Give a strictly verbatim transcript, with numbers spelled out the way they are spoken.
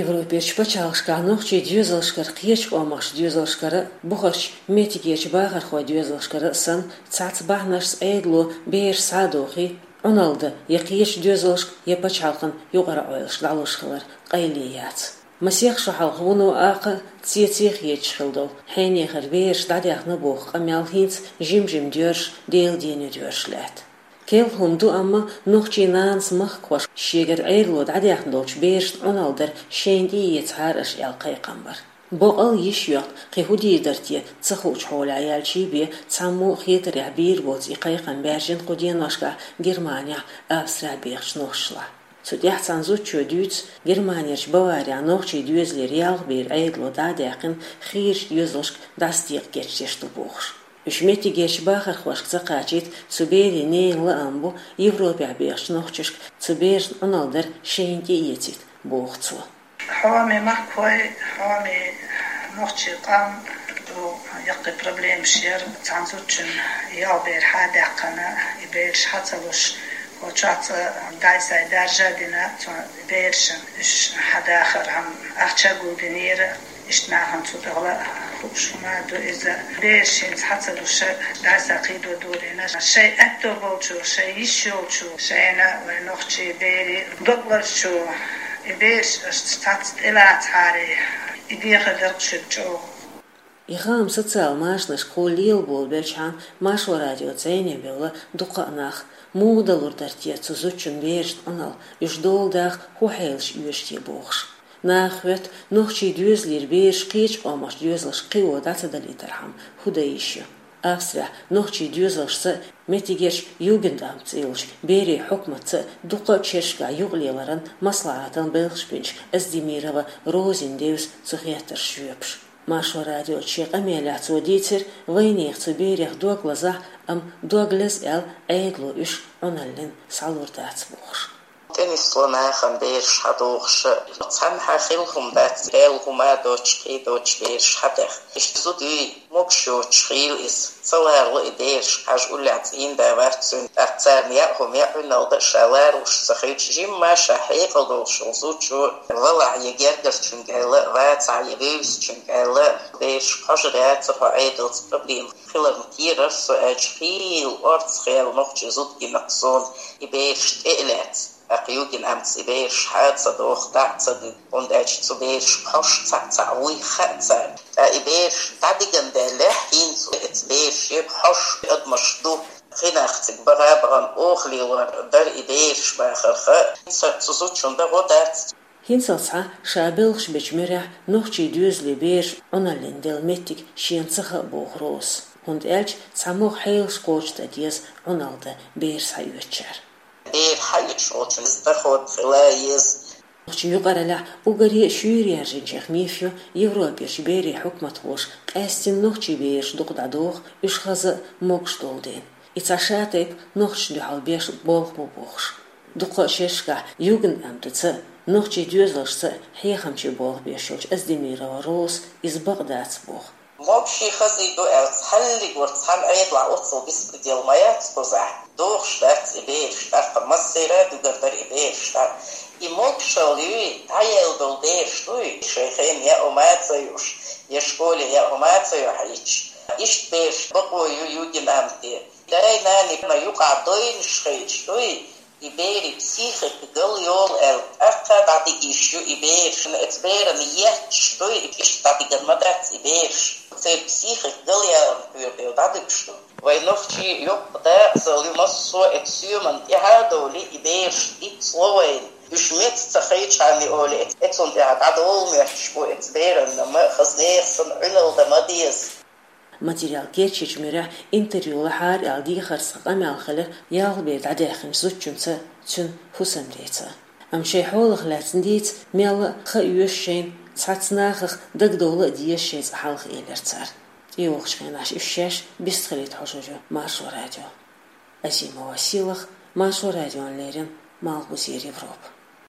Европерчу пачхьалкхашкахь нохчийн доьзалшкара, кхечу къомахчу доьзалшкара, бухарчу меттигерчу бахархойн доьзалшкара санна, цхьацца бахьанашца Ӏедало бераш схьадохий, Ӏуналла дан я кхечу доьзалшка, я пачхьалкхан юкъара Ӏойлашка дӀалуш хилар къайле яц. Масех шо хьалха вуно акха цеций хеташ хилла долу хьенехара бераш дӀадаьхна боху къамел хӀинца жим-жима доьрзуш, Делан дийне доьрзуш лаьтта. Керла хӀума ду, амма нохчийн нанас махкахошка шегара Ӏедало дӀадаьхна долчу берашна Ӏуналла дар шайна тӀеэцахьара аша аьлла кхайкхам бара. Бакъ а йиш йоьхна, кхин хӀун дийр дара те, ца хуучу хьолехь яьлчий бен, цхьаммо а хетарехь бийр боцу и кхайкхам баьржина кху деношкахь Германехь, Австрехь бехачу нохчашлахь. Цу тӀехь цхьана зудчо дуьйцу, Германерчу Баварехь нохчийн доьзалера ялх бер Ӏедало дӀа а даьккхина, хийрачу доьзалшка дӀасадекъа кечдеш ду бохуш. Уьш меттигерчу бахархошка ца кхачийта, цу берийн ненан лаам бу, Европехь бехачу нохчашка цу берашна Ӏуналла дар шайна тӀеэцийта, боху цо. Хьоме махкахой, хьоме нохчийн къам ду, яккхий проблемаш яра. Цхьана зудчунна ялх бер схьа а даьккхина, и бераш схьа ца луш, кху чохь цкъа дай-сай даржа а дина, цо берашна уьш схьадахар хьан ахча а гулдинера. Иштта нахана цу тӀехула хууш хӀума ду иза. Бераш хӀинца схьа ца луш, дай-сай кхийдо дурийна. Шайн аьтто болчо, шайн йиш йолчо, шайна вайн нохчийн берийн дог лазачо, и бераш аша цхьацца тӀелацахьара, и дехар дара-кх шуьга чӀогӀа. И хаам социал машанашкахула лелаболабелчхьана, Маршо радиоца зӀене бевлла дукха а нах. Муха далур дара те цу зудчун берашна Ӏуналла, уьш дола даха хӀун хьелаш оьшу те бохуш. Наха хоьтту, нохчийн доьзалера бераш кхечу къомахчу доьзалшка кхио дӀа ца далийтархьама хӀун дан йиш ю. Австрехь нохчийн доьзалшца а, меттигерчу Югендамт цӀе йолчу берийн хьукматца а дуккха а шерашкахь юкъалеларан маслаӀатан белхаш бинчу Аздемирова Розина девза цу хеттаршна жоьпаш. Маршо радиоца шен къамелехь цо дийцира, вайнехан цу берех дог лазахь, амма дог леза аьлла, Ӏедало уьш Ӏуналлин схьалур дац бохуш. ТӀенисло нахана бераш схьадохуш, цхьаннахьа хилла хӀума дац, аьлла хӀума доцуш, кхин доцуш бераш схьадаьхна. Иштта зуда юй, могуш йоцуш хилла иза. Ца ларало и бераш, хьажа уллехь цӀийнда вац цуьнан, тӀаккха царна яа хӀума яа, Ӏуналла дан ша ларалуш ца хилча, жимма ша хьекъал долуш волу зудчо валахь я гергарчуьнга аьлла, вацахь я вевзачуьнга аьлла, бераш хьожур яцара хьо Ӏедалца проблема хиларна кхерара со, аьлча хийла орцах яьлла нохчийн зуда гина-кх суна, и бераш тӀе а лаьцна. ТӀаккха Югендамтца и бераш схьа а ца доху, дӀа а ца дина, хӀунда аьлча цу берашка хьожуш цхьаъ-цхьаъ вуй хаьа царна. Ткъа и бераш дӀадигна даьллехь, хӀинца оцу берашка хьожуш адамаш ду. Кхин нах цига баха а бахана, оха лелор дара и бераш бахарх, хӀинца цу зудчунна дан гӀо дац. ХӀинцалц схьа ша белхаш бечу муьрехь нохчийн доьзалийн бераш Ӏуналлин делла меттиг шена ца хаьа боху Розас. ХӀунда аьлча цхьамогӀа хьелаш кхочушдан деза Ӏуналла дан бераш схьаоьцучара. Бер схьаоьцуш волчун иза доход хила еза. Нохчийн юкъараллехь уггаре а шуьйра яьржинчех миф ю, Европерчу берийн хьукматхоша къаьстина нохчийн бераш дукха дӀадоху, уьш хаза а могуш долу дела. И цхьа ша тайпа нохчашна дуьхьал беш болх бу бохуш. Дуккха а шерашкахь Югендамтаца а, нохчийн доьзалшца а хьехамчийн болх беш йолчу Аздемирова Розас иза бакъ дац боху. Могуший хазий ду аьлла, цхьаллиг вара цхьана Ӏедалахь оццул беспредел ма яц кхузахь. Дохуш дац и бераш тӀаккха, массеран а дуьгар дара и бераш тӀаккха. И могушалла юй, дӀаелла долу бераш дуй, шайн хенахь яа хӀума а ца юуш, я школе яа хӀума а ца юьхьийча. Иштта бераш бакъо ю Югендамте. Дай-наной юкъахь дойнаш хилча дуй, и берийн психика гал йолу аьлла, тӀаккха дӀадига йиш ю и бераш. Оцу берана етташ дуй, иштта дӀадиган ма дац и бераш. Церан психика гал яларна кхоьру дела дӀадуьгуш ду. Вайн нохчийн йоккха дакъазалла ю массо а оцу соьмана тӀаьхьа а довлий, и бераш дицло вайна. Уьш меца ца хилчхьана олий, оцунна тӀехь дӀадовла моьттуш бу оцу беранна ма, хаза нехан санна Ӏуьналла дан ма деза. Материал кечйинчу муьрехь интервью лахьара аьлла дехарца къамел хилира ялх бер дӀадаьхначу зудчуьнца, цуьнан хӀусамдеца. Амма шайн хьолах лаьцна дийца, мелла а хан оьшу шайна, цхьацца нахах дагадовла а деза шайн цӀа хьалха, элира цара. ТӀейогӀучу хенахь уьш шаьш бистхилийта хьожур ю Маршо радио. Азимова Сийлаха, Маршо радиона леррина, Малхбузера Европа.